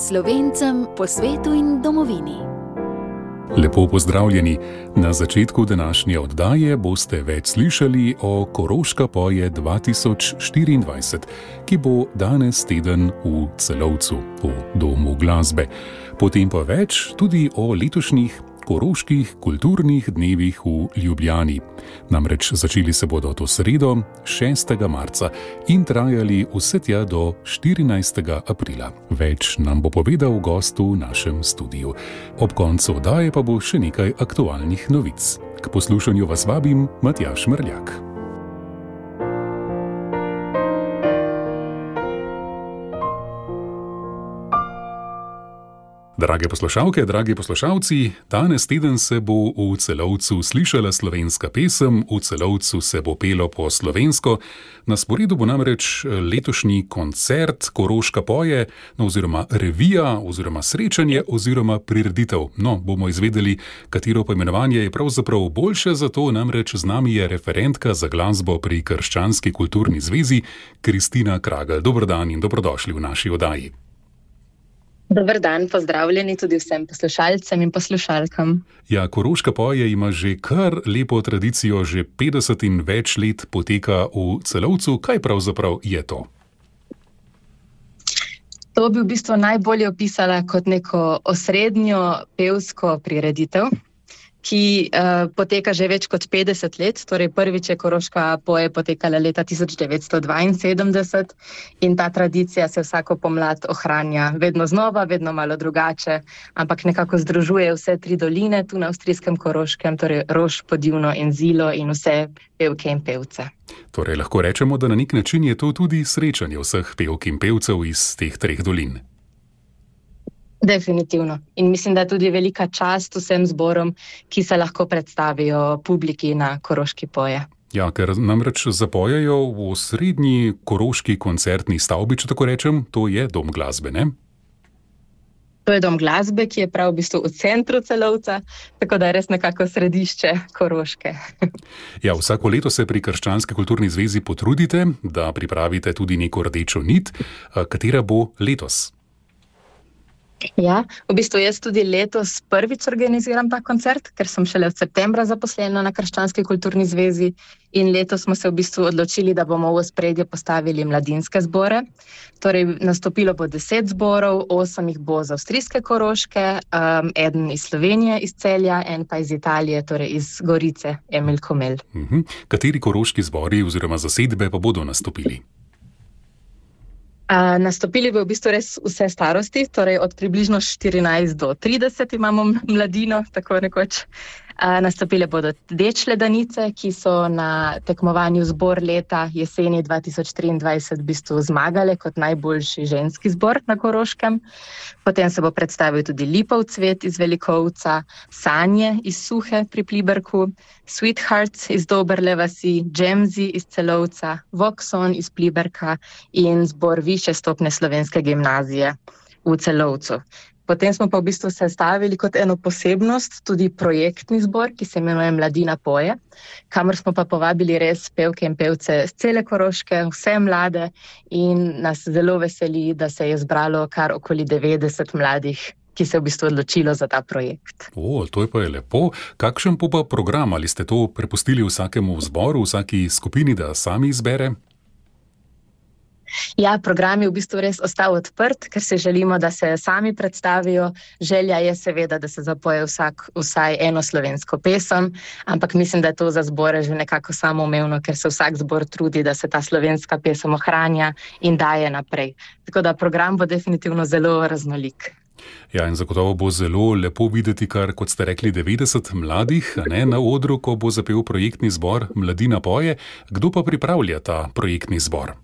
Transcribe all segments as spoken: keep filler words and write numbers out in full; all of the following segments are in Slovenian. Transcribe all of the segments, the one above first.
Slovencem po svetu in domovini. Lepo pozdravljeni. Na začetku današnje oddaje boste več slišali o Koroška poje dva tisoč štiriindvajset, ki bo danes teden v Celovcu, v Domu glasbe. Potem pa več tudi o letošnjih koroških kulturnih dnevih v Ljubljani. Namreč začeli se bodo to sredo, šestega marca, in trajali vse tja do štirinajstega aprila. Več nam bo povedal gost v našem studiu. Ob koncu oddaje pa bo še nekaj aktualnih novic. K poslušanju vas vabim Matjaž Mrljak. Drage poslušalke, dragi poslušalci, danes teden se bo v Celovcu slišala slovenska pesem, v Celovcu se bo pelo po slovensko. Na sporedu bo namreč letošnji koncert Koroška poje, no, oziroma revija, oziroma srečanje, oziroma prireditev. No, bomo izvedeli, katero poimenovanje je pravzaprav boljše, zato namreč z nami je referentka za glasbo pri Krščanski kulturni zvezi, Kristina Kragelj. Dober dan in dobrodošli v naši oddaji. Dober dan, pozdravljeni tudi vsem poslušalcem in poslušalkam. Ja, Koroška poje ima že kar lepo tradicijo, že petdeset in več let poteka v Celovcu. Kaj pravzaprav je to? To bi v bistvu najbolje opisala kot neko osrednjo pevsko prireditev, ki uh, poteka že več kot petdeset let, torej prvič je Koroška poje potekala leta tisoč devetsto dvainsedemdeset in ta tradicija se vsako pomlad ohranja vedno znova, vedno malo drugače, ampak nekako združuje vse tri doline tu na avstrijskem Koroškem, torej Roš, Podivno in Zilo in vse pevke in pevce. Torej lahko rečemo, da na nek način je to tudi srečanje vseh pevk in pevcev iz teh treh dolin. Definitivno. In mislim, da je tudi velika čast vsem zborom, ki se lahko predstavijo publiki na Koroški poje. Ja, ker namreč zapojejo v osrednji koroški koncertni stavbi, če tako rečem, to je Dom glasbe, ne? To je Dom glasbe, ki je prav v bistvu v centru Celovca, tako da je res nekako središče Koroške. Ja, vsako leto se pri Krščanski kulturni zvezi potrudite, da pripravite tudi neko rdečo nit, katera bo letos. Ja, v bistvu jaz tudi letos prvič organiziram ta koncert, ker sem šele od septembra zaposlena na Krščanski kulturni zvezi in letos smo se v bistvu odločili, da bomo v ospredje postavili mladinske zbore. Torej, nastopilo bo deset zborov, osem jih bo z avstrijske Koroške, um, eden iz Slovenije, iz Celja, en pa iz Italije, torej iz Gorice, Emil Komel. Mhm. Kateri koroški zbori oziroma zasedbe pa bodo nastopili? Uh, nastopili bo v bistvu res vse starosti, torej od približno štirinajst do trideset imamo mladino, tako nekoč. Uh, nastopile bodo Dečle Danice, ki so na tekmovanju zbor leta jeseni dva tisoč triindvajset v bistvu zmagale kot najboljši ženski zbor na Koroškem. Potem se bo predstavil tudi Lipov cvet iz Velikovca, Sanje iz Suhe pri Pliberku, Sweethearts iz Doberle vasi, Džemzi iz Celovca, Vokson iz Pliberka in zbor Višje stopnje slovenske gimnazije v Celovcu. Potem smo pa v bistvu sestavili kot eno posebnost tudi projektni zbor, ki se imenuje Mladina poje, kamor smo pa povabili res pevke in pevce z cele Koroške, vse mlade, in nas zelo veseli, da se je zbralo kar okoli devetdeset mladih, ki se je v bistvu odločilo za ta projekt. O, to je pa je lepo. Kakšen pa program? Ali ste to prepustili vsakemu zboru, vsaki skupini, da sami izbere? Ja, program je v bistvu res ostal odprt, ker se želimo, da se sami predstavijo. Želja je seveda, da se zapoje vsak vsaj eno slovensko pesem, ampak mislim, da je to za zbore že nekako samoumevno, ker se vsak zbor trudi, da se ta slovenska pesem ohranja in daje naprej. Tako da program bo definitivno zelo raznolik. Ja, in zagotovo bo zelo lepo videti, kar, kot ste rekli, devetdeset mladih, ne, na odru, ko bo zapel projektni zbor Mladina poje. Kdo pa pripravlja ta projektni zbor?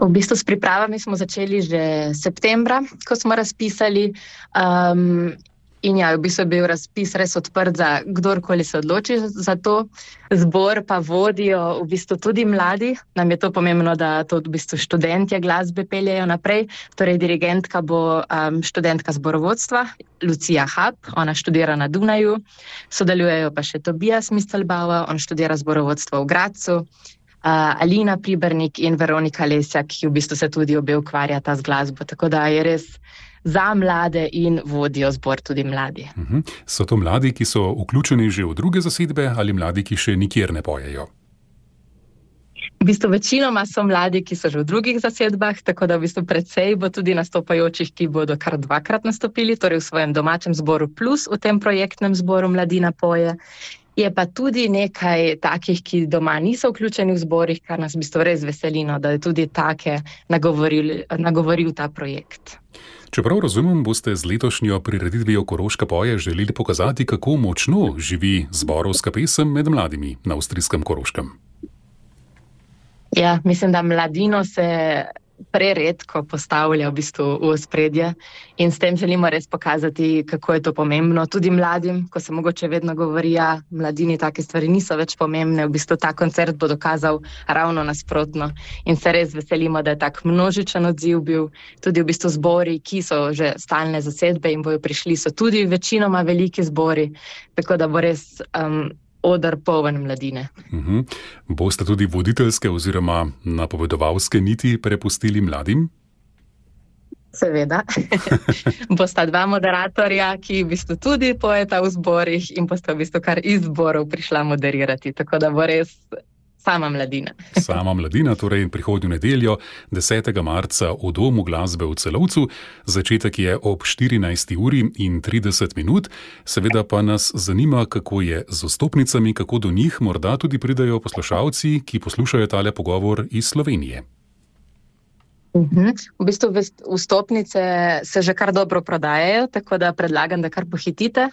V bistvu s pripravami smo začeli že septembra, ko smo razpisali. Um, in ja, v bistvu je bil razpis res odprt za kdorkoli se odloči za to. Zbor pa vodijo v bistvu tudi mladi. Nam je to pomembno, da to v bistvu študentje glasbe peljejo naprej. Torej, dirigentka bo um, študentka zborovodstva, Lucija Hab, ona študira na Dunaju. Sodelujejo pa še Tobias Mistelbauer, on študira zborovodstvo v Gradcu. Alina Pribernik in Veronika Lesjak, ki v bistvu se tudi obe ukvarjata z glasbo. Tako da je res za mlade in vodijo zbor tudi mladi. Uh-huh. So to mladi, ki so vključeni že v druge zasedbe ali mladi, ki še nikjer ne pojejo? V bistvu večinoma so mladi, ki so že v drugih zasedbah, tako da v bistvu precej bo tudi nastopajočih, ki bodo kar dvakrat nastopili, torej v svojem domačem zboru plus v tem projektnem zboru Mladina poje. Je pa tudi nekaj takih, ki doma niso vključeni v zborih, kar nas v bistvu res veselino, da je tudi take nagovoril, nagovoril ta projekt. Čeprav razumem, boste z letošnjo prireditvijo Koroška poje želeli pokazati, kako močno živi zborovska pesem med mladimi na avstrijskem Koroškem. Ja, mislim, da mladino se preredko postavlja v bistvu v ospredje in s tem želimo res pokazati, kako je to pomembno tudi mladim, ko se mogoče vedno govori, ja, mladini take stvari niso več pomembne, v bistvu ta koncert bo dokazal ravno nasprotno in se res veselimo, da je tak množičen odziv bil, tudi v bistvu zbori, ki so že stalne zasedbe in bojo prišli, so tudi večinoma veliki zbori, tako da bo res um, odr poln mladine. Uh-huh. Boste tudi voditeljske oziroma napovedovalske niti prepustili mladim? Seveda. Bosta dva moderatorja, ki v bistvu tudi pojeta v zborih in bosta v bistvu kar iz zborov prišla moderirati, tako da bo res sama mladina. Sama mladina, torej prihodnjo nedeljo, desetega marca v Domu glasbe v Celovcu. Začetek je ob štirinajsti uri in trideset minut. Seveda pa nas zanima, kako je z vstopnicami, kako do njih morda tudi pridejo poslušalci, ki poslušajo tale pogovor iz Slovenije. Uhum. V bistvu vstopnice se že kar dobro prodajajo, tako da predlagam, da kar pohitite.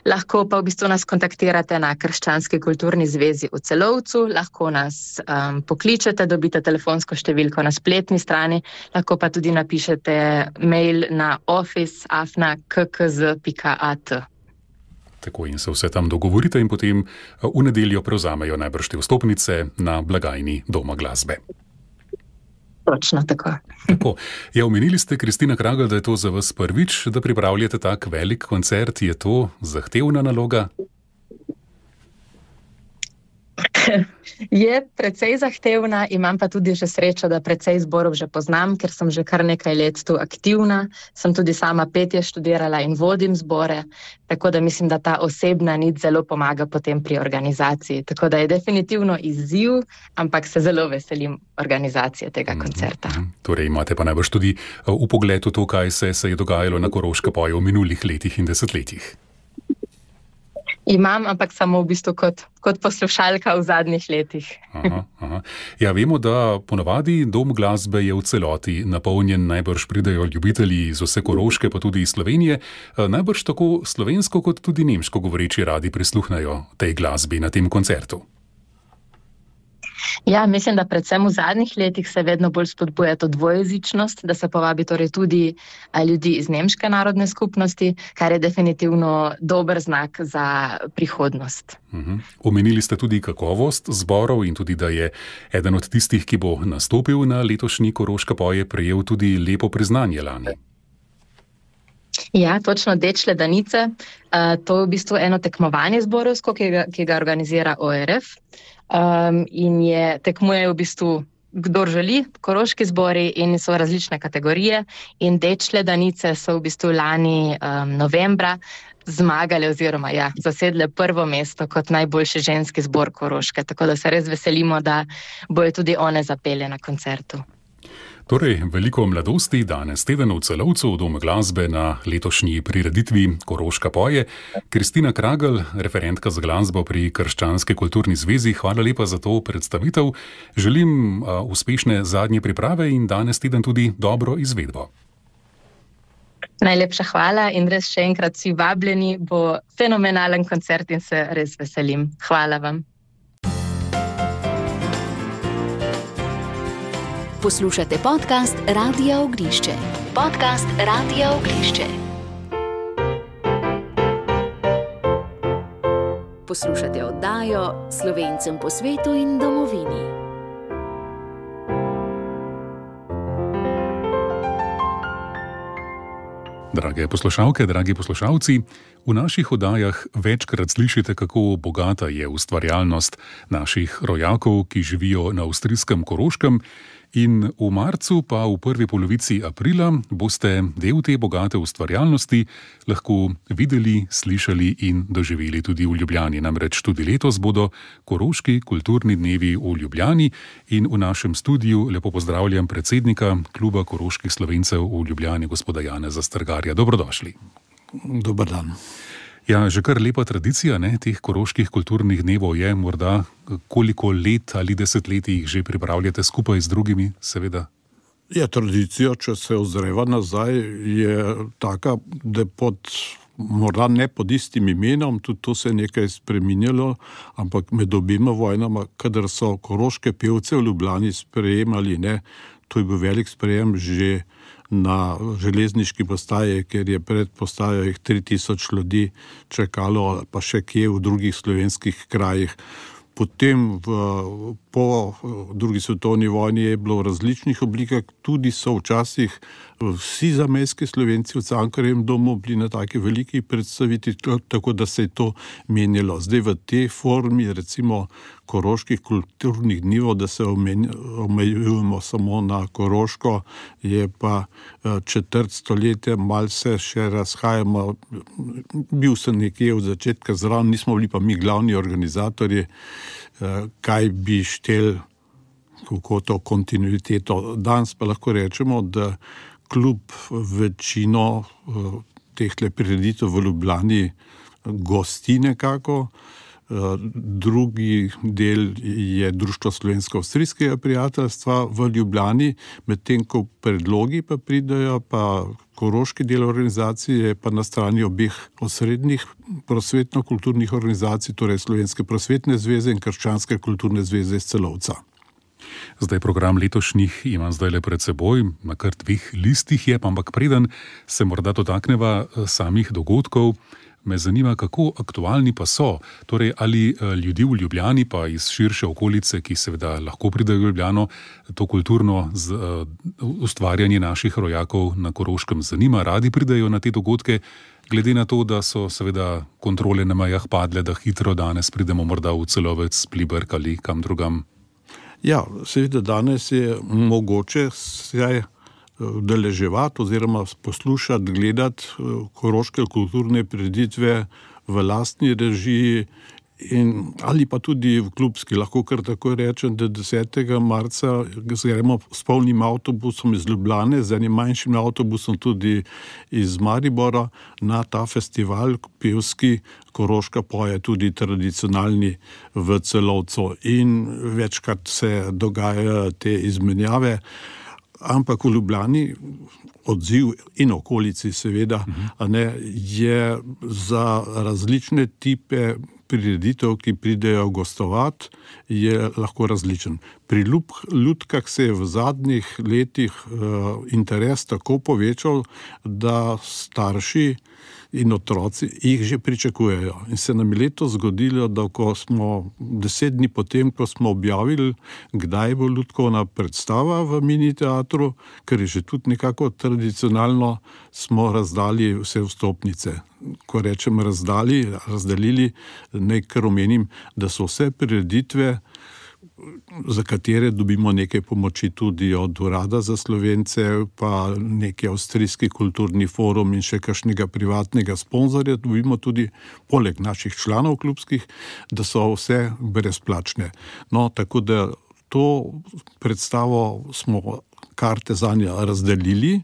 Lahko pa v bistvu nas kontaktirate na Krščanski kulturni zvezi v Celovcu, lahko nas um, pokličete, dobite telefonsko številko na spletni strani, lahko pa tudi napišete mail na office afna k k z pika a t. Tako in se vse tam dogovorite in potem v nedeljo prevzamejo najbrž te vstopnice na blagajni Doma glasbe. Točno tako. Tako. Ja, omenili ste, Kristina Kragelj, da je to za vas prvič, da pripravljate tak velik koncert. Je to zahtevna naloga? Je precej zahtevna, imam pa tudi že srečo, da precej zborov že poznam, ker sem že kar nekaj let tu aktivna. Sem tudi sama petje študirala in vodim zbore, tako da mislim, da ta osebna nit zelo pomaga potem pri organizaciji. Tako da je definitivno izziv, ampak se zelo veselim organizacije tega koncerta. Mm-hmm. Torej imate pa najbrž tudi v pogledu to, kaj se, se je dogajalo na Koroška poje v minulih letih in desetletjih. Imam, ampak samo v bistvu kot, kot poslušalka v zadnjih letih. Aha, aha. Ja, vemo, da ponavadi Dom glasbe je v celoti napolnjen, najbrž pridejo ljubitelji iz vse Koroške, pa tudi iz Slovenije. Najbrž tako slovensko kot tudi nemško govoreči radi prisluhnajo tej glasbi na tem koncertu. Ja, mislim, da predvsem v zadnjih letih se vedno bolj spodbuja to dvojezičnost, da se povabi torej tudi ljudi iz nemške narodne skupnosti, kar je definitivno dober znak za prihodnost. Uh-huh. Omenili ste tudi kakovost zborov in tudi, da je eden od tistih, ki bo nastopil na letošnji Koroška poje, prejel tudi lepo priznanje lani. Ja, točno, Dečle Danice. Uh, to je v bistvu eno tekmovanje zborovsko, ki ga, ki ga organizira O R F. Um, in je, tekmujejo v bistvu kdor želi, koroški zbori in so različne kategorije. In Dečle Danice so v bistvu lani um, novembra zmagali oziroma ja, zasedle prvo mesto kot najboljši ženski zbor Koroške. Tako da se res veselimo, da bojo tudi one zapele na koncertu. Torej, veliko mladosti danes teden v Celovcu v Domu glasbe na letošnji prireditvi Koroška poje. Kristina Kragelj, referentka za glasbo pri Krščanski kulturni zvezi, hvala lepa za to predstavitev. Želim uh, uspešne zadnje priprave in danes teden tudi dobro izvedbo. Najlepša hvala in res še enkrat vsi vabljeni, bo fenomenalen koncert in se res veselim. Hvala vam. Poslušate podcast Radia Ognišče. Podcast Radia Ognišče. Poslušate oddajo Slovencem po svetu in domovini. Drage poslušalke, dragi poslušalci, v naših oddajah večkrat slišite, kako bogata je ustvarjalnost naših rojakov, ki živijo na avstrijskem Koroškem, in v marcu pa v prvi polovici aprila boste del te bogate ustvarjalnosti lahko videli, slišali in doživeli tudi v Ljubljani. Namreč tudi letos bodo Koroški kulturni dnevi v Ljubljani in v našem studiu lepo pozdravljam predsednika Kluba koroških Slovencev v Ljubljani, gospoda Janeza Strgarja. Dobrodošli. Dober dan. Ja, že kar lepa tradicija, ne, teh koroških kulturnih dnevov je, morda koliko let ali desetletij jih že pripravljate skupaj z drugimi, seveda? Ja, tradicija, če se ozreva nazaj, je taka, da pod, morda ne pod istim imenom, tudi to se je nekaj spreminjalo, ampak med obima vojnama, kadar so koroške pevce v Ljubljani sprejemali, ne, to je bil velik sprejem že na železniški postaji, ker je pred postajo jih tri tisoč ljudi čakalo, pa še kje v drugih slovenskih krajih. Potem v, po drugi svetovni vojni je bilo v različnih oblikah, tudi so včasih vsi zamejski Slovenci v Cankarjevem domu bili na taki veliki predstaviti, tako da se je to menjalo. Zdaj v tej formi, recimo koroških kulturnih dnevov, da se omejujemo samo na Koroško, je pa četrt stoletja, malce še razhajamo. Bil sem nekje od začetka zraven, nismo bili pa mi glavni organizatorji, kaj bi štel, kako to kontinuiteto. Danes pa lahko rečemo, da klub večino tehle prireditev v Ljubljani gosti nekako. Drugi del je Društvo slovensko-avstrijskega prijateljstva v Ljubljani, medtem ko predlogi pa pridajo, pa koroški del organizacije pa na strani obeh osrednjih prosvetno-kulturnih organizacij, torej Slovenske prosvetne zveze in Krščanske kulturne zveze iz Celovca. Zdaj program letošnjih imam zdaj le pred seboj, na kar dveh listih je, ampak preden se morda dotakneva samih dogodkov, me zanima, kako aktualni pa so. Torej, ali ljudi v Ljubljani pa iz širše okolice, ki seveda lahko pridejo v Ljubljano, to kulturno z, uh, ustvarjanje naših rojakov na Koroškem zanima, radi pridejo na te dogodke, glede na to, da so seveda kontrole na mejah padle, da hitro danes pridemo morda v Celovec, Pliberk ali kam drugam. Ja, seveda danes je mogoče se udeleževati oziroma poslušati, gledati koroške kulturne prireditve v lastni režiji in, ali pa tudi v klubski. Lahko kar tako rečem, da desetega marca gremo s polnim avtobusom iz Ljubljane, z enim manjšim avtobusom tudi iz Maribora na ta festival pevski Koroška poje, tudi tradicionalni v Celovcu, in večkrat se dogajajo te izmenjave. Ampak v Ljubljani odziv in okolici seveda a ne, je za različne tipe prireditev, ki pridejo gostovati, je lahko različen. Pri Ljutkah se je v zadnjih letih uh, interes tako povečal, da starši in otroci jih že pričakujejo. In se nam je letos zgodilo, da ko smo deset dni potem, ko smo objavili, kdaj bo Ljudkovna predstava v mini teatru, ker je že tudi nekako tradicionalno, smo razdali vse vstopnice. Ko rečem razdali, razdelili, naj kar omenim, da so vse prireditve, za katere dobimo nekaj pomoči tudi od Urada za Slovence, pa neki avstrijski kulturni forum in še kakšnega privatnega sponzorja, dobimo tudi poleg naših članov klubskih, da so vse brezplačne. No, tako da to predstavo smo karte zanje razdelili,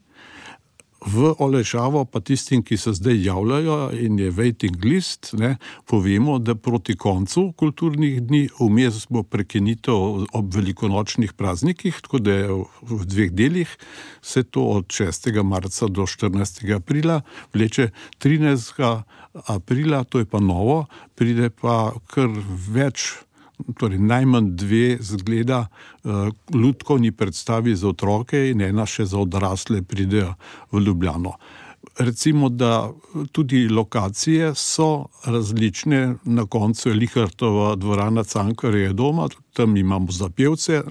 v olajšavo pa tistim, ki se zdaj javljajo in je waiting list, ne, povemo, da proti koncu kulturnih dni vmes bo prekinitev ob velikonočnih praznikih, tako da je v dveh delih, se to od šestega marca do štirinajstega aprila vleče. trinajstega aprila, to je pa novo, pride pa kar več, torej najmanj dve zgleda uh, lutkovni predstavi za otroke in ena še za odrasle pridejo v Ljubljano. Recimo, da tudi lokacije so različne, na koncu je Lihartova dvorana Cankarjevega doma, tam imamo za pevce,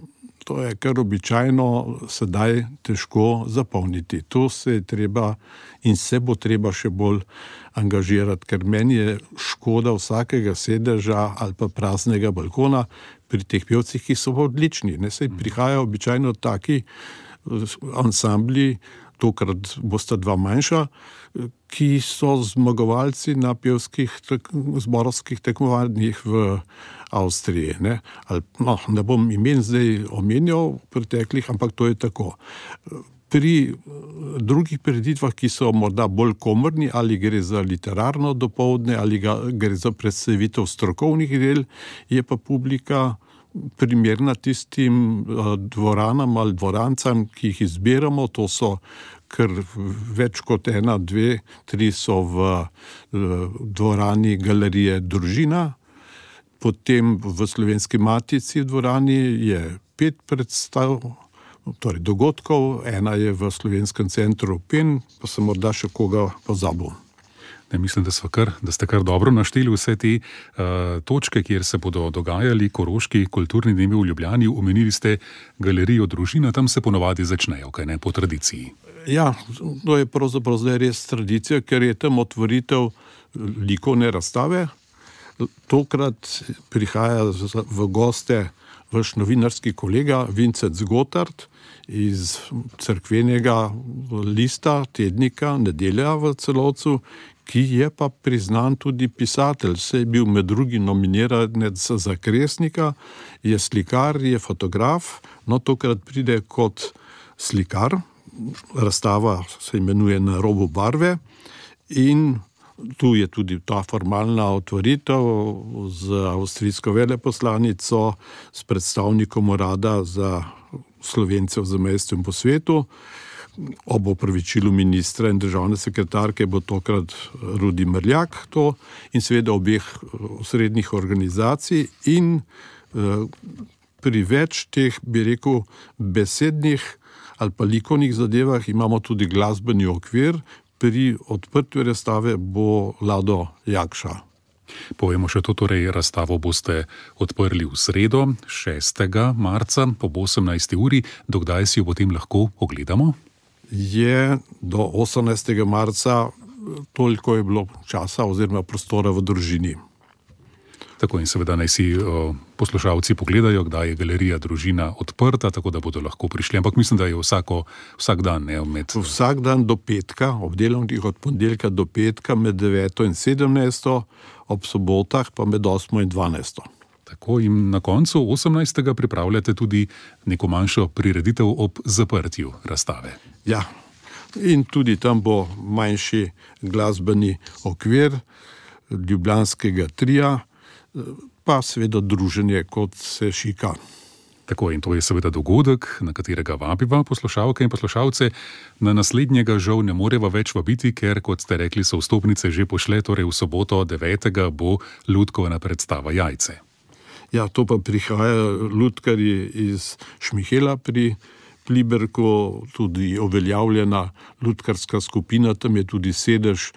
to je kar običajno sedaj težko zapolniti. To se je treba in se bo treba še bolj angažirati, ker meni je škoda vsakega sedeža ali pa praznega balkona pri teh pevcih, ki so odlični. Ne, saj prihajajo običajno taki ansambli, tokrat bosta dva manjša, ki so zmagovalci na pevskih tek, zborovskih tekmovanjih v Avstriji. Ne, ali, no, ne bom imen zdaj omenjal preteklih, ampak to je tako. Pri drugih prireditvah, ki so morda bolj komorni, ali gre za literarno dopoldne, ali ga, gre za predstavitev strokovnih del, je pa publika primerna tistim dvoranam ali dvorancam, ki jih izbiramo. To so kar več kot ena, dve, tri so v dvorani Galerije Družina, potem v Slovenski matici v dvorani je pet predstav, torej dogodkov, ena je v Slovenskem centru Pen, pa sem morda še koga pozabil. Ne, mislim, da, kar, da ste kar dobro našteli vse te uh, točke, kjer se bodo dogajali koroški kulturni dnevi v Ljubljani. Omenili ste Galerijo Družina, tam se ponovadi začnejo, kaj ne, po tradiciji. Ja, to je pravzaprav zdaj res tradicija, ker je tam otvoritev likovne razstave. Tokrat prihaja v goste vaš novinarski kolega Vincent Zgotard iz cerkvenega lista, tednika Nedelja v Celovcu, ki je pa priznan tudi pisatelj. Se je bil med drugim nominiranec za Kresnika, je slikar, je fotograf, no tokrat pride kot slikar. Razstava se imenuje Na robu barve in tu je tudi ta formalna otvoritev z avstrijsko veleposlanico, s predstavnikom urada za Slovence v zamejstvu in po svetu. Ob opravičilu ministra in državne sekretarke bo tokrat Rudi Mrljak to in seveda obeh srednjih organizacij in eh, pri več teh, bi rekel, besednih ali pa likovnih zadevah imamo tudi glasbeni okvir. Pri odprtju razstave bo Lado Jakša. Povemo še to, torej razstavo boste odprli v sredo, šestega marca po osemnajsti uri. Dokdaj si jo potem lahko ogledamo? Je do osemnajstega marca, toliko je bilo časa oziroma prostora v Družini. Tako in seveda naj si o, poslušalci pogledajo, kdaj je Galerija Družina odprta, tako da bodo lahko prišli. Ampak mislim, da je vsako, vsak dan. Ne, med... Vsak dan do petka, ob delovnih od ponedeljka do petka med deveto in sedemnajsto, ob sobotah pa med osmo in dvanajsto. Tako in na koncu osemnajstega pripravljate tudi neko manjšo prireditev ob zaprtju razstave. Ja, in tudi tam bo manjši glasbeni okvir ljubljanskega trija, pa seveda druženje, kot se šika. Tako in to je seveda dogodek, na katerega vabiva poslušalke in poslušalce. Na naslednjega žal ne moreva več vabiti, ker, kot ste rekli, so vstopnice že pošle, torej v soboto devetega bo lutkovna predstava Jajce. Ja, to pa prihaja lutkarji iz Šmihela pri Pliberku, tudi uveljavljena lutkarska skupina, tam je tudi sedež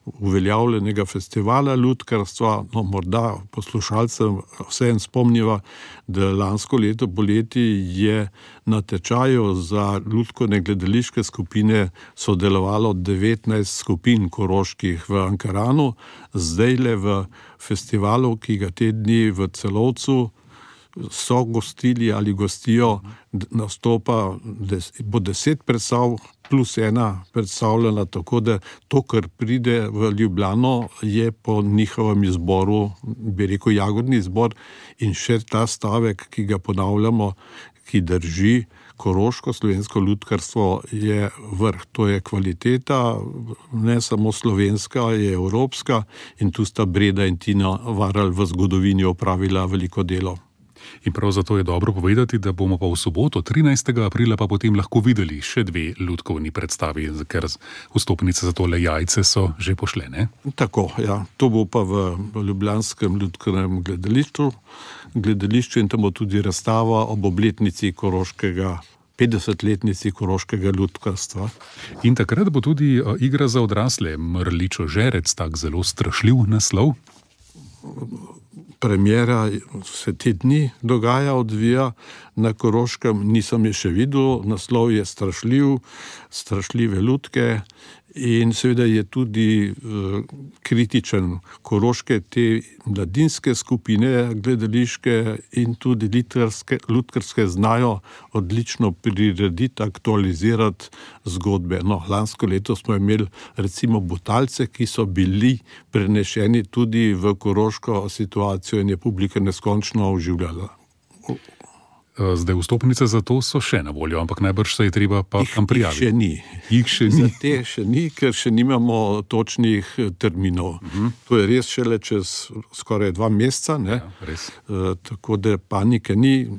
uveljavljenega festivala lutkarstva. No, morda poslušalcem vseeno spomniva, da lansko leto poleti je na tečaju za lutkovne gledališke skupine sodelovalo devetnajst skupin koroških v Ankaranu, zdajle v festivalu, ki ga te dni v Celovcu so gostili ali gostijo, nastopa, bo deset predstav plus ena predstavljena, tako da to, kar pride v Ljubljano, je po njihovem izboru, bi rekel, jagodni izbor in še ta stavek, ki ga ponavljamo, ki drži, koroško slovensko lutkarstvo je vrh, to je kvaliteta, ne samo slovenska, je evropska in tu sta Breda in Tina Varal v zgodovini opravila veliko delo. In prav zato je dobro povedati, da bomo pa v soboto, trinajstega aprila, pa potem lahko videli še dve lutkovni predstavi, ker vstopnice za tole Jajce so že pošle, Tako, ja. To bo pa v ljubljanskem lutkovnem gledališču, gledališču in tam bo tudi razstava ob obletnici koroškega, petdesetletnici koroškega lutkarstva. In takrat bo tudi igra za odrasle, Mrličo žerec, tak zelo strašljiv naslov. premjera se te dni dogaja, odvija na Koroškem, nisem je še videl, naslov je strašljiv, strašljive lutke in seveda je tudi uh, kritičen. Koroške te mladinske skupine, gledališke in tudi lutkarske, lutkarske znajo odlično prirediti, aktualizirati zgodbe. No, lansko leto smo imeli recimo Butalce, ki so bili prenešeni tudi v koroško situacijo in je publika neskončno oživljala. Zdaj vstopnice za to so še na voljo, ampak najbrž se je treba pa tam prijaviti. Jih še ni. Jih še ni. Za te še ni, ker še nimamo točnih terminov. Uh-huh. To je res šele čez skoraj dva meseca, ne? Ja, res. E, tako da panike ni.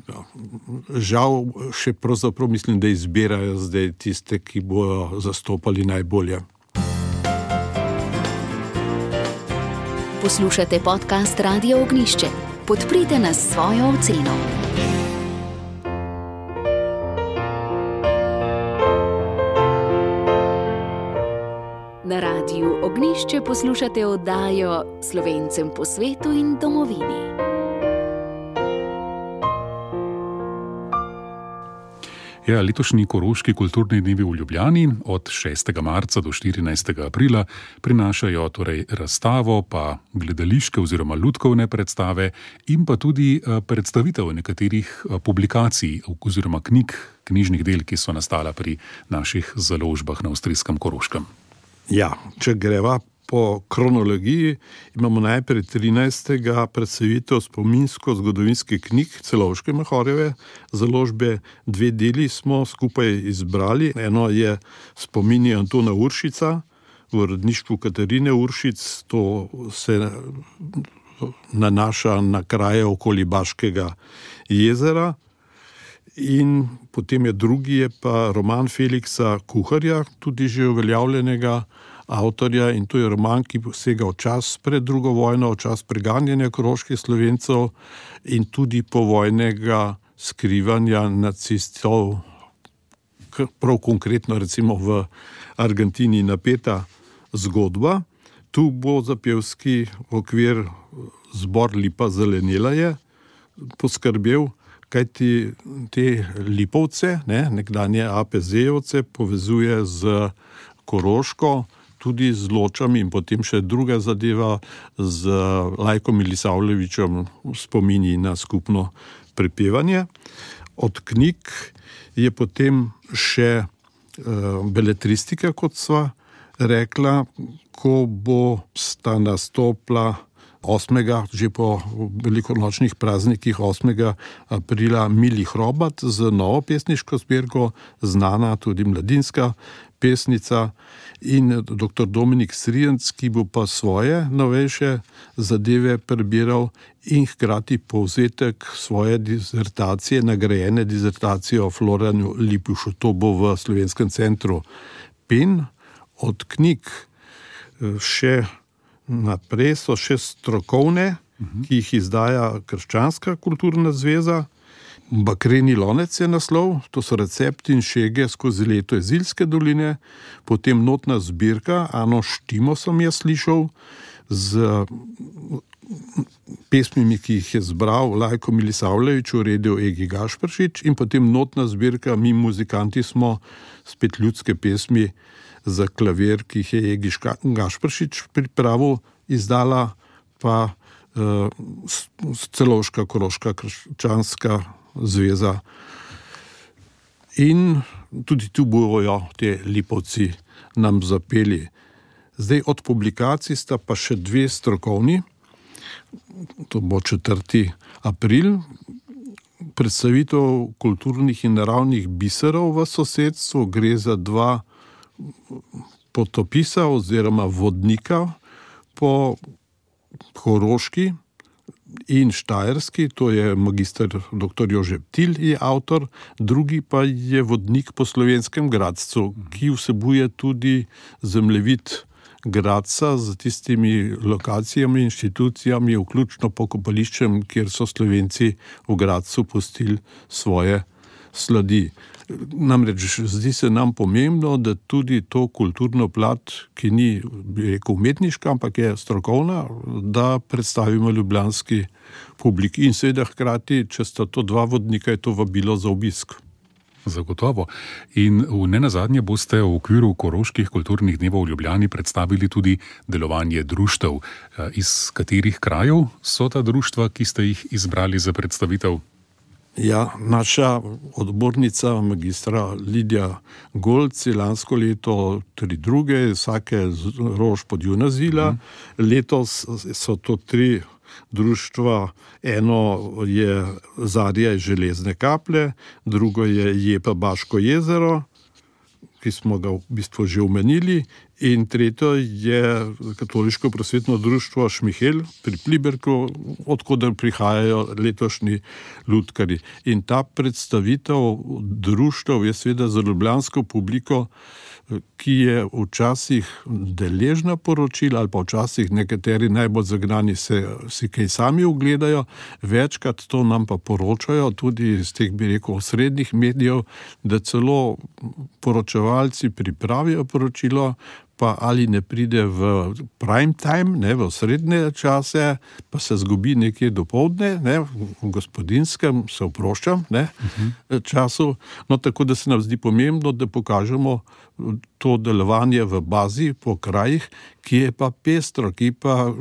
Žal še pravzaprav mislim, da izbirajo zdaj tiste, ki bojo zastopali najbolje. Poslušate podcast Radio Ognišče. Podprite nas s svojo oceno. Na Radiu Ognišče poslušate oddajo Slovencem po svetu in domovini. Ja, letošnji Koroški kulturni dnevi v Ljubljani od šestega marca do štirinajstega aprila prinašajo torej razstavo, pa gledališke oziroma lutkovne predstave in pa tudi predstavitev nekaterih publikacij oziroma knjig, knjižnih del, ki so nastala pri naših založbah na avstrijskem Koroškem. Ja, če greva po kronologiji, imamo najprej trinajstega predstavitev spominsko-zgodovinskih knjig Celovške Mahorjeve založbe. Dve deli smo skupaj izbrali. Eno je Spomini Antona Uršica v uredništvu Katarine Uršic. To se nanaša na kraje okoli Baškega jezera. In potem je drugi je pa roman Feliksa Kuharja, tudi že uveljavljenega avtorja, in to je roman, ki sega v čas pred drugo vojno, v čas preganjanja koroških Slovencev in tudi povojnega skrivanja nacistov, prav konkretno recimo v Argentini napeta zgodba. Tu bo za pevski okvir zbor Lipa zelenela je poskrbel, kajti te Lipovce, ne, nekdanje A P Z-jevce, povezuje z Koroško, tudi z Ločami in potem še druga zadeva z Lajkom Milisavljevičem spomini na skupno prepevanje. Od knjig je potem še uh, beletristika, kot sva rekla, ko bo sta nastopila osmega, že po velikonočnih praznikih osmega aprila Mili Hrobat z novo pesniško zbirko, znana tudi mladinska pesnica, in doktor Dominik Srijenc, ki bo pa svoje novejše zadeve prebiral in hkrati povzetek svoje dizertacije, nagrajene dizertacije o Florjanu Lipušu. To bo v Slovenskem centru Pen. Od knjig še naprej so še strokovne, uh-huh. ki jih izdaja Krščanska kulturna zveza. Bakreni lonec je naslov, to so recepti in šege skozi leto iz Ilske doline, potem notna zbirka, Ano Štimo sem jaz slišal, z pesmimi, ki jih je zbral Lajko Milisavljevič, uredil Egi Gašperšič, in potem notna zbirka Mi muzikanti smo, spet ljudske pesmi za klavir, ki jih je Egi Gašperšič pripravil, izdala pa uh, Celovška Koroška krščanska zveza. In tudi tu bojo te Lipovci nam zapeli. Zdaj od publikacij sta pa še dve strokovni, to bo četrti april, predstavitev kulturnih in naravnih biserov v sosedstvu. Gre za dva potopisa oziroma vodnika po Koroški in Štajerski, to je magister doktor Jože Ptil je avtor, drugi pa je vodnik po Slovenskem Gradcu, ki vsebuje tudi zemljevid Gradca z tistimi lokacijami, inštitucijami, vključno pokopališčem, kjer so Slovenci v Gradcu pustili svoje sledi. Namreč zdi se nam pomembno, da tudi to kulturno plat, ki ni, bi rekel, umetniška, ampak je strokovna, da predstavimo ljubljanski publiki. In seveda hkrati, če sta to dva vodnika, je to vabilo za obisk. Zagotovo. In v nenazadnje boste v okviru Koroških kulturnih dnevov v Ljubljani predstavili tudi delovanje društev. Iz katerih krajev so ta društva, ki ste jih izbrali za predstavitev? Ja, naša odbornica, magistra Lidija Golc, je lansko leto tri druge, vsake rož pod Junazila. Mm. Letos so to tri društva. Eno je Zarja iz Železne Kaple, drugo je Jepa Baško jezero, ki smo ga v bistvu že omenili, in tretjo je Katoliško prosvetno društvo Šmihel pri Pliberku, odkoder prihajajo letošnji lutkarji. In ta predstavitev društev je seveda za ljubljansko publiko, ki je včasih deležna poročila ali pa včasih nekateri najbolj zagnani se si kaj sami ogledajo, večkrat to nam pa poročajo tudi iz teh, bi rekel, osrednjih medijev, da celo poročevalci pripravijo poročilo, pa ali ne pride v prime time, ne, v srednje čase, pa se zgubi nekje dopoldne, ne, v gospodinskem, se oproščam, ne, uh-huh. času. No, tako da se nam zdi pomembno, da pokažemo to delovanje v bazi, po krajih, ki je pa pestro, ki pa,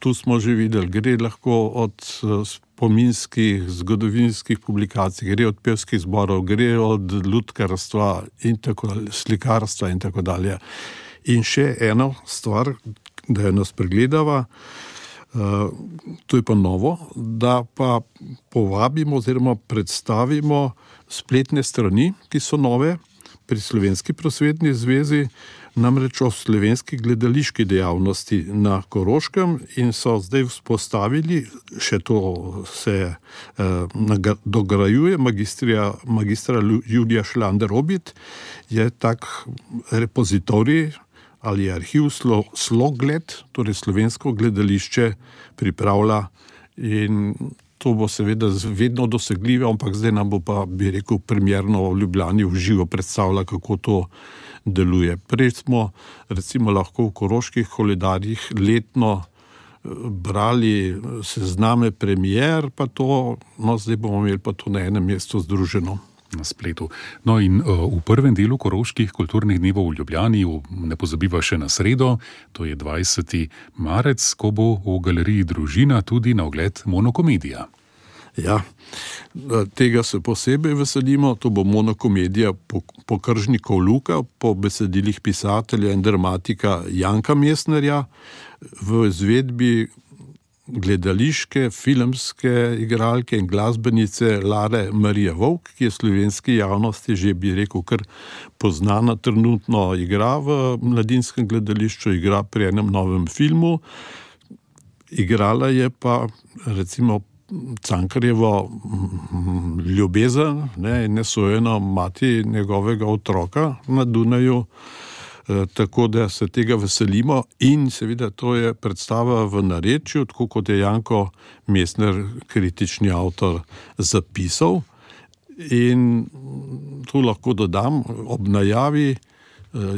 tu smo že videli, gre lahko od spominskih, zgodovinskih publikacij, gre od pevskih zborov, gre od lutkarstva in tako dalje, slikarstva in tako dalje. In še eno stvar, da jo nas pregledava, uh, to je pa novo, da pa povabimo oziroma predstavimo spletne strani, ki so nove pri Slovenski prosvetni zvezi, namreč o slovenski gledališki dejavnosti na Koroškem, in so zdaj vzpostavili, še to se uh, dograjuje, magistra, magistra Julija Šlander-Obit, je tak repozitorij ali arhiv slo, Slogled, torej slovensko gledališče pripravlja, in to bo seveda vedno dosegljivo, ampak zdaj nam bo pa, bi rekel, premierno v Ljubljani v živo predstavlja, kako to deluje. Prej smo recimo lahko v Koroških koledarjih letno brali sezname premier, pa to, no zdaj bomo imeli pa to na enem mestu združeno. Na spletu. No in uh, v prvem delu Koroških kulturnih dnevov v Ljubljani, ne pozabiva še na sredo, to je dvajseti marec, ko bo v galeriji Družina tudi na ogled monokomedija. Ja, tega se posebej veselimo, to bo monokomedija Pokržnikov Luka po besedilih pisatelja in dramatika Janka Mesnerja v izvedbi gledališke, filmske igralke in glasbenice Lare Marije Vovk, ki je slovenski javnosti že, bi rekel, kar poznana, trenutno igra v mladinskem gledališču, igra pri enem novem filmu. Igrala je pa recimo Cankarjevo ljubezen, ne, nesojeno mati njegovega otroka na Dunaju. E, tako da se tega veselimo, in seveda to je predstava v narečju, tako kot je Janko Mesner, kritični avtor, zapisal. In tu lahko dodam, ob najavi e,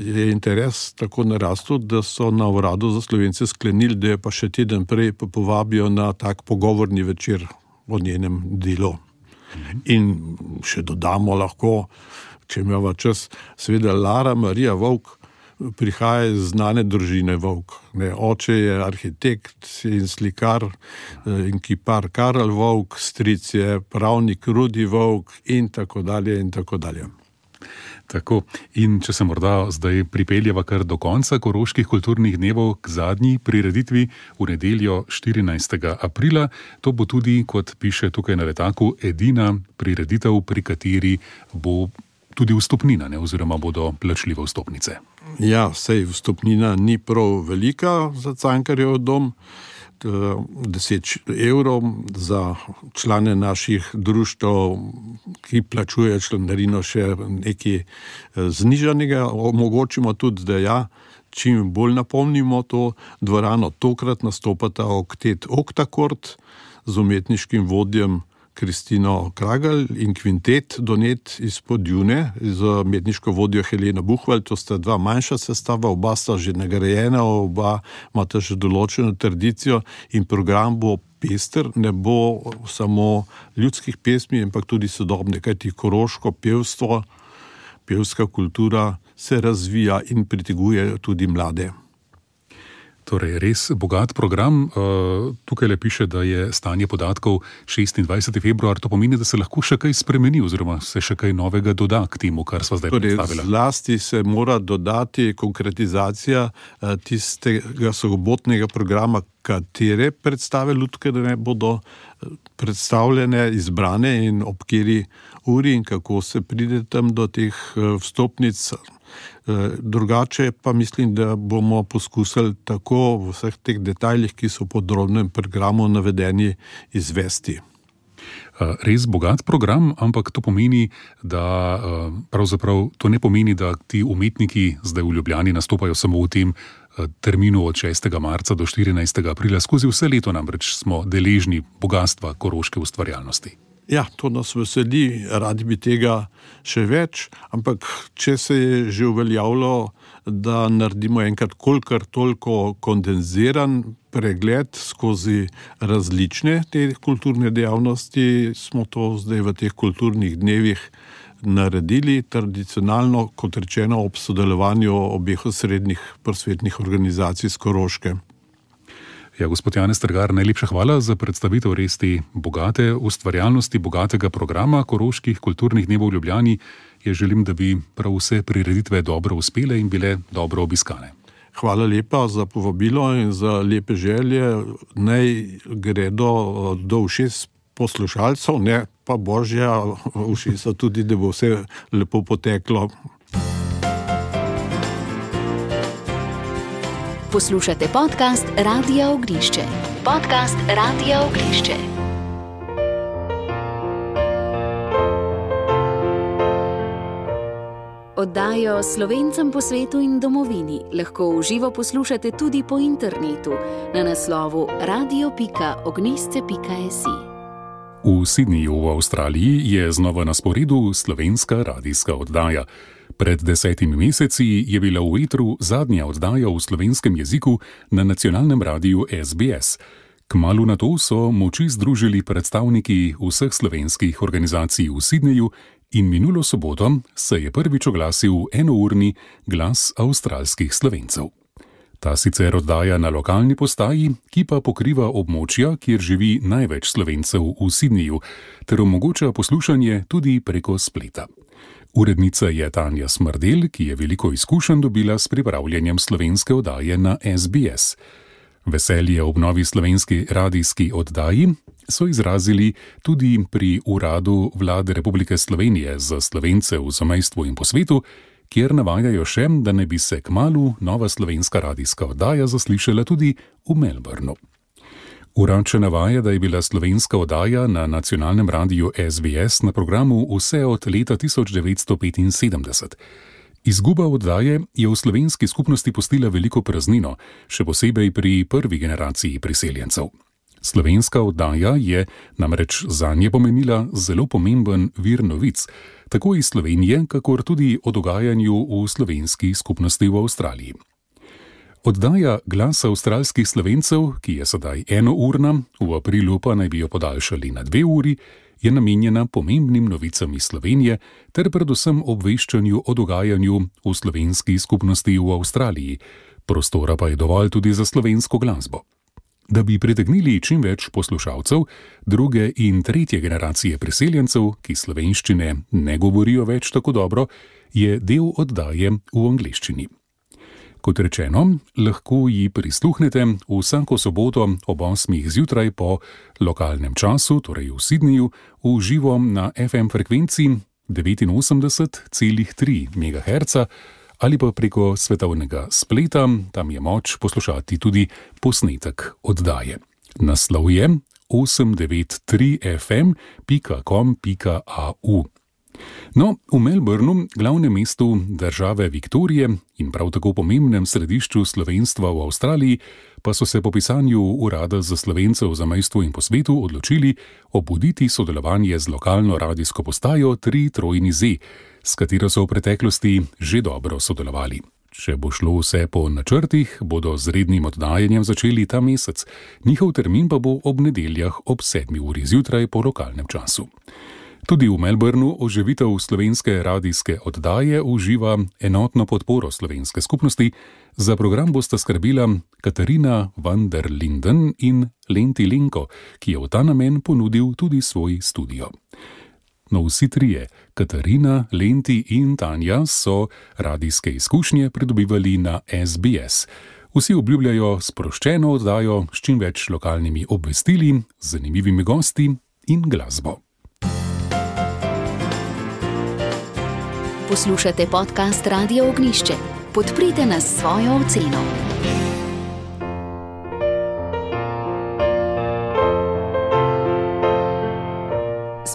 je interes tako narastel, da so na Uradu za Slovence sklenili, da je pa še teden prej pa povabijo na tak pogovorni večer o njenem delu. In še dodamo lahko, če imamo čas, seveda Lara Marija Vovk prihaja iz znane družine Vovk. Ne, oče je arhitekt in slikar in kipar Karel Vovk, stric je pravnik Rudi Vovk in tako dalje in tako dalje. Tako, in če se morda zdaj pripeljeva kar do konca Koroških kulturnih dnevov k zadnji prireditvi v nedeljo štirinajstega aprila, to bo tudi, kot piše tukaj na letaku, edina prireditev, pri kateri bo tudi vstopnina, ne, oziroma bodo plačljive vstopnice. Ja, sej vstopnina ni prav velika za Cankarjev dom, deset evrov za člane naših društev, ki plačujejo članarino, še nekaj znižanega. Omogočimo tudi, da ja, čim bolj napolnimo to dvorano. Tokrat nastopata oktet Oktakord z umetniškim vodjem Kristino Kragelj in kvintet Donet iz Podjune z medniško vodjo Heleno Buhvalj. To sta dva manjša sestava, oba sta že nagrajena, oba imata že določeno tradicijo in program bo pester, ne bo samo ljudskih pesmi, ampak tudi sodobne, kajti koroško pevstvo, pevska kultura se razvija in priteguje tudi mlade. Torej, res bogat program. Tukaj le piše, da je stanje podatkov šestindvajseti februar. To pomeni, da se lahko še kaj spremeni oziroma se še kaj novega doda k temu, kar sva zdaj torej, predstavila. Zlasti se mora dodati konkretizacija tistega sobotnega programa, katere predstave lutkarne bodo predstavljene, izbrane in ob kateri uri in kako se pride tam do teh vstopnic. Drugače pa mislim, da bomo poskusili tako v vseh teh detajlih, ki so v podrobnem programu navedeni, izvesti. Res bogat program, ampak to pomeni, da pravzaprav to ne pomeni, da ti umetniki zdaj v Ljubljani nastopajo samo v tem terminu od šestega marca do štirinajstega aprila. Skozi vse leto namreč smo deležni bogatstva koroške ustvarjalnosti. Ja, to nas veseli, radi bi tega še več, ampak če se je že uveljavilo, da naredimo enkrat kolikor toliko kondenziran pregled skozi različne te kulturne dejavnosti, smo to zdaj v teh kulturnih dnevih naredili, tradicionalno, kot rečeno, ob sodelovanju obeh osrednjih prosvetnih organizacij z Koroške. Ja, gospod Janez Strgar, najlepša hvala za predstavitev res te bogate ustvarjalnosti, bogatega programa koroških kulturnih dnevov v Ljubljani. Jaz želim, da bi prav vse prireditve dobro uspele in bile dobro obiskane. Hvala lepa za povabilo in za lepe želje. Naj gredo do ušes poslušalcev, ne pa božja ušesa tudi, da bo vse lepo poteklo. Poslušate podcast Radia Ognišče. Podcast Radia Ognišče. Oddajo Slovencem po svetu in domovini lahko v živo poslušate tudi po internetu na naslovu radio pika ognisce pika si. V Sydneyju v Avstraliji je znova na sporedu slovenska radijska oddaja. Pred desetimi meseci je bila v etru zadnja oddaja v slovenskem jeziku na nacionalnem radiju es be es. Kmalu nato so moči združili predstavniki vseh slovenskih organizacij v Sydneyju in minulo soboto se je prvič oglasil enourni glas avstralskih Slovencev. Ta sicer oddaja na lokalni postaji, ki pa pokriva območja, kjer živi največ Slovencev v Sydneyju, ter omogoča poslušanje tudi preko spleta. Urednica je Tanja Smrdel, ki je veliko izkušenj dobila s pripravljanjem slovenske oddaje na es be es. Veselje ob novi slovenski radijski oddaji so izrazili tudi pri Uradu Vlade Republike Slovenije za Slovence v zamejstvu in po svetu, kjer navajajo še, da ne bi se kmalu nova slovenska radijska oddaja zaslišala tudi v Melbourneu. Urad še navaja, da je bila slovenska oddaja na nacionalnem radiju es be es na programu vse od leta tisoč devetsto petinsedemdeset. Izguba oddaje je v slovenski skupnosti pustila veliko praznino, še posebej pri prvi generaciji priseljencev. Slovenska oddaja je namreč zanje pomenila zelo pomemben vir novic, tako iz Slovenije, kakor tudi o dogajanju v slovenski skupnosti v Avstraliji. Oddaja Glas avstralskih Slovencev, ki je sedaj enourna, v aprilu pa naj bi jo podaljšali na dve uri, je namenjena pomembnim novicam iz Slovenije ter predvsem obveščanju o dogajanju v slovenski skupnosti v Avstraliji. Prostora pa je dovolj tudi za slovensko glasbo. Da bi pritegnili čim več poslušalcev, druge in tretje generacije priseljencev, ki slovenščine ne govorijo več tako dobro, je del oddaje v angleščini. Kot rečeno, lahko ji prisluhnete vsako soboto ob osmih zjutraj po lokalnem času, torej v Sydneyju, v živo na ef em frekvenci devetinosemdeset celih tri megaherca ali pa preko svetovnega spleta, tam je moč poslušati tudi posnetek oddaje. Naslov je osem devet tri ef em pika com pika a u. No, v Melbournu, glavnem mestu države Viktorije in prav tako pomembnem središču slovenstva v Avstraliji, pa so se po pisanju Urada za Slovence v zamejstvu in po svetu odločili obuditi sodelovanje z lokalno radijsko postajo tri trojni Z, s katero so v preteklosti že dobro sodelovali. Če bo šlo vse po načrtih, bodo z rednim oddajanjem začeli ta mesec, njihov termin pa bo ob nedeljah ob sedmi uri zjutraj po lokalnem času. Tudi v Melbournu oživitev slovenske radijske oddaje uživa enotno podporo slovenske skupnosti. Za program bosta skrbila Katarina van der Linden in Lenti Lenko, ki je v ta namen ponudil tudi svoj studio. No, vsi trije, Katarina, Lenti in Tanja, so radijske izkušnje pridobivali na S B S. Vsi obljubljajo sproščeno oddajo s čim več lokalnimi obvestili, zanimivimi gosti in glasbo. Poslušate podcast Radio Ognjišče. Podprite nas s svojo oceno.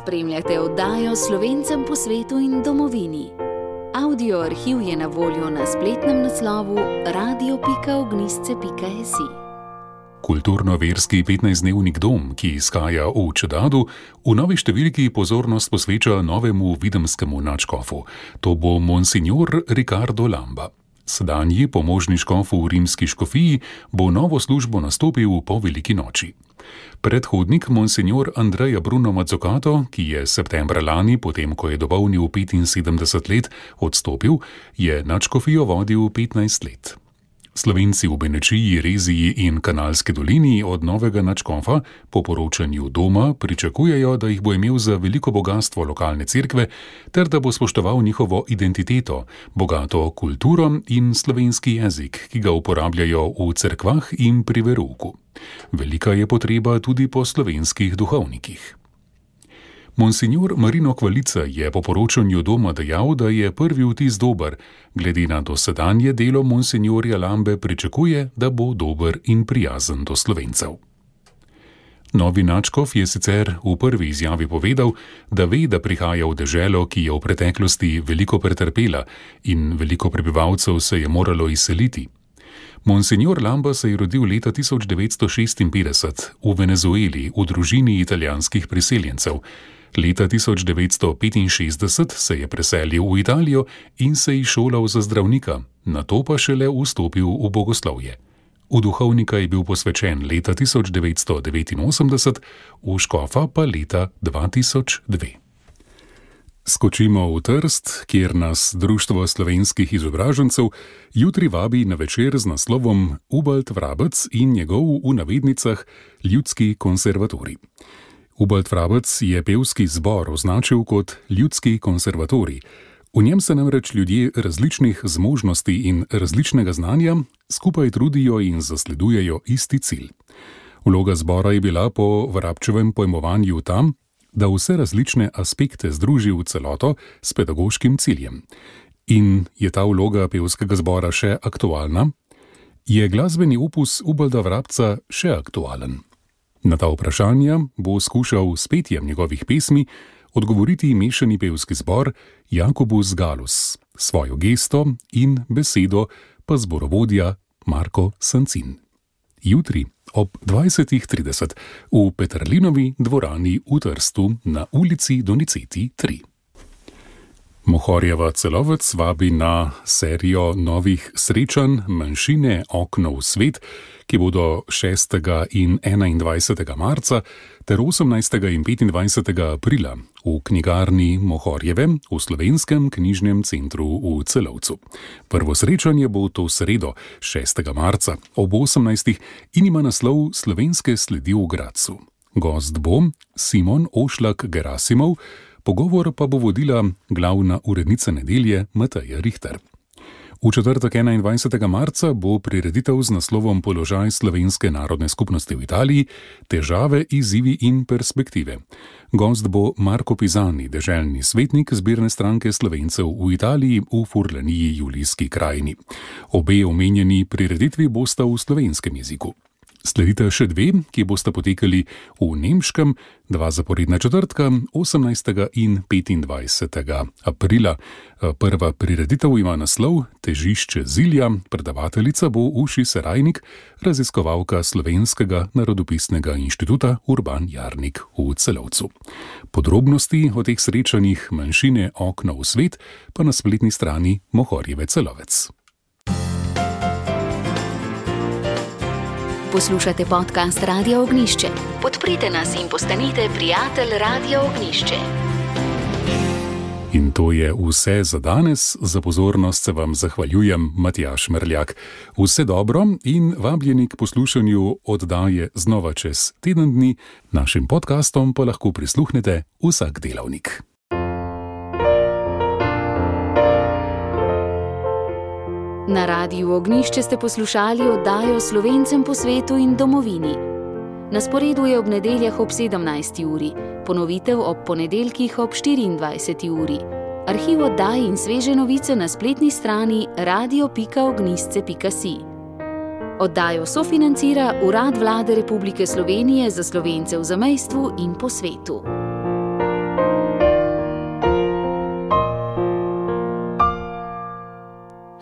Spremljate oddajo Slovencem po svetu in domovini. Audio arhiv je na voljo na spletnem naslovu radio pika ognjišče pika es i. Kulturno-verski petnajstdnevnik Dom, ki izhaja v Čedadu, v novi številki pozornost posveča novemu videmskemu nadškofu. To bo monsignor Ricardo Lamba. Sedanji pomožni škof v rimski škofiji bo novo službo nastopil po veliki noči. Predhodnik monsignor Andreja Bruno Mazzucato, ki je septembra lani, potem ko je dopolnil petinsedemdeset let, odstopil, je nadškofijo vodil petnajst let. Slovenci v Benečiji, Reziji in Kanalski dolini od novega nadškofa po poročanju Doma pričakujejo, da jih bo imel za veliko bogatstvo lokalne cerkve ter da bo spoštoval njihovo identiteto, bogato kulturo in slovenski jezik, ki ga uporabljajo v cerkvah in pri verouku. Velika je potreba tudi po slovenskih duhovnikih. Monsignor Marino Kvalica je po poročanju Doma dejal, da je prvi vtis dober. Glede na dosedanje delo monsignorja Lambe pričakuje, da bo dober in prijazen do Slovencev. Novi nadškof je sicer v prvi izjavi povedal, da ve, da prihaja v deželo, ki je v preteklosti veliko pretrpela in veliko prebivalcev se je moralo izseliti. Monsignor Lamba se je rodil leta tisoč devetsto šestinpetdeset v Venezueli v družini italijanskih priseljencev. Leta tisoč devetsto petinšestdeset se je preselil v Italijo in se izšolal za zdravnika, nato pa šele vstopil v bogoslovje. V duhovnika je bil posvečen leta tisoč devetsto devetinosemdeset, v škofa pa leta dva tisoč dve. Skočimo v Trst, kjer nas Društvo slovenskih izobražencev jutri vabi na večer z naslovom Ubald Vrabec in njegov v navednicah ljudski konservatorij. Ubald Vrabec je pevski zbor označil kot ljudski konservatorij. V njem se namreč ljudje različnih zmožnosti in različnega znanja skupaj trudijo in zasledujejo isti cilj. Vloga zbora je bila po Vrabčevem pojmovanju tam, da vse različne aspekte združi v celoto s pedagoškim ciljem. In je ta vloga pevskega zbora še aktualna? Je glasbeni opus Ubalda Vrabca še aktualen? Na ta vprašanja bo skušal s petjem njegovih pesmi odgovoriti mešani pevski zbor Jakobus Gallus, svojo gesto in besedo pa zborovodja Marko Sancin. Jutri ob dvajsetih trideset v Peterlinovi dvorani v Trstu na ulici Doniceti tri. Mohorjeva Celovec vabi na serijo novih srečanj Manjšine okno v svet, ki bodo šestega in enaindvajsetega marca ter osemnajstega in petindvajsetega aprila v knjigarni Mohorjeve v Slovenskem knjižnem centru v Celovcu. Prvo srečanje bo to sredo, šestega marca ob osemnajstih in ima naslov Slovenske sledi v Gradcu. Gost bo Simon Ošlak Gerasimov, pogovor pa bo vodila glavna urednica Nedelje Mateja Richter. V četrtek enaindvajsetega marca bo prireditev z naslovom Položaj slovenske narodne skupnosti v Italiji, težave, izzivi in perspektive. Gost bo Marko Pizani, deželni svetnik zbirne stranke Slovencev v Italiji v Furlaniji Julijski krajini. Obe omenjeni prireditvi bosta v slovenskem jeziku. Sledite še dve, ki bosta potekali v Nemškem, dva zaporedna četrtka, osemnajstega in petindvajsetega aprila. Prva prireditev ima naslov Težišče Zilja, predavateljica bo Uši Serajnik, raziskovalka Slovenskega narodopisnega inštituta Urban Jarnik v Celovcu. Podrobnosti o teh srečanjih manjšine Okno v svet pa na spletni strani Mohorjeve Celovec. Poslušate podcast Radia Ognjišče. Podprite nas in postanite prijatelj Radia Ognjišče. In to je vse za danes. Za pozornost se vam zahvaljujem, Matjaž Merljak. Vse dobro in vabljeni k poslušanju oddaje znova čez teden dni. Našim podcastom pa lahko prisluhnete vsak delavnik. Na Radiu Ognjišče ste poslušali oddajo Slovencem po svetu in domovini. Na sporedu je ob nedeljah ob sedemnajsti uri, ponovitev ob ponedeljkih ob štiriindvajseti uri. Arhiv oddaj in sveže novice na spletni strani radio pika ognjisce pika si. Oddajo sofinancira Urad Vlade Republike Slovenije za Slovence v zamejstvu in po svetu.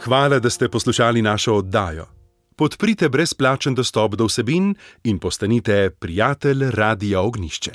Hvala, da ste poslušali našo oddajo. Podprite brezplačen dostop do vsebin in postanite prijatelj Radia Ognjišče.